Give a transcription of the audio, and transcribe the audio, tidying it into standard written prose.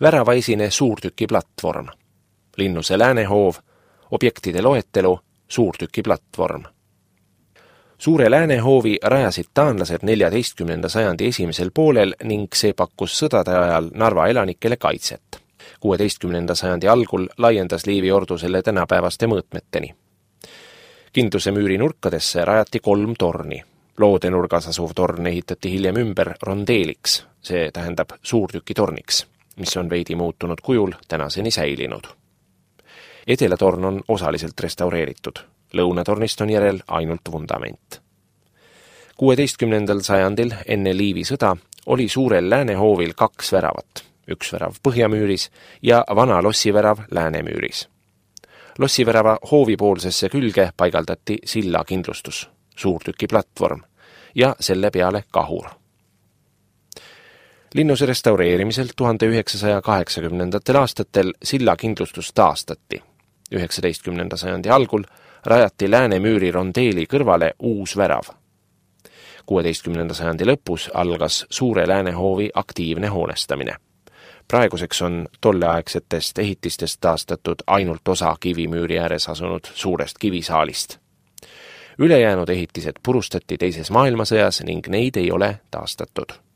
Väravaesine suurtükiplatvorm. Linnuse Läänehoov, objektide loetelu, suurtükiplatvorm. Suure Läänehoovi rajasid taanlased 14. sajandi esimesel poolel ning see pakkus sõdade ajal Narva elanikele kaitset. 16. sajandi algul laiendas Liivi ordu selle tänapäevaste mõõtmeteni. Kindluse müüri nurkadesse rajati 3 torni. Loodenurgas asuv torn ehitati hiljem ümber rondeeliks, see tähendab suurtükitorniks, mis on veidi muutunud kujul tänaseni säilinud. Edelatorn on osaliselt restaureeritud. Lõunatornist on järel ainult vundament. 16. sajandil enne Liivi sõda oli suurel Läänehoovil 2 väravat, üks värav põhjamüüris ja vana lossivärav Läänemüüris. Lossivärava hoovipoolsesse külge paigaldati sillakindlustus, suurtükiplatvorm ja selle peale kahur. Linnuse restaureerimisel 1980. aastatel sillakindlustus taastati. 19. sajandi algul rajati Läänemüüri rondeeli kõrvale uus värav. 16. sajandi lõpus algas Suure Läänehoovi aktiivne hoonestamine. Praeguseks on tolleaegsetest ehitistest taastatud ainult osa kivimüüri ääres asunud suurest kivisaalist. Ülejäänud ehitised purustati teises maailmasõjas ning neid ei ole taastatud.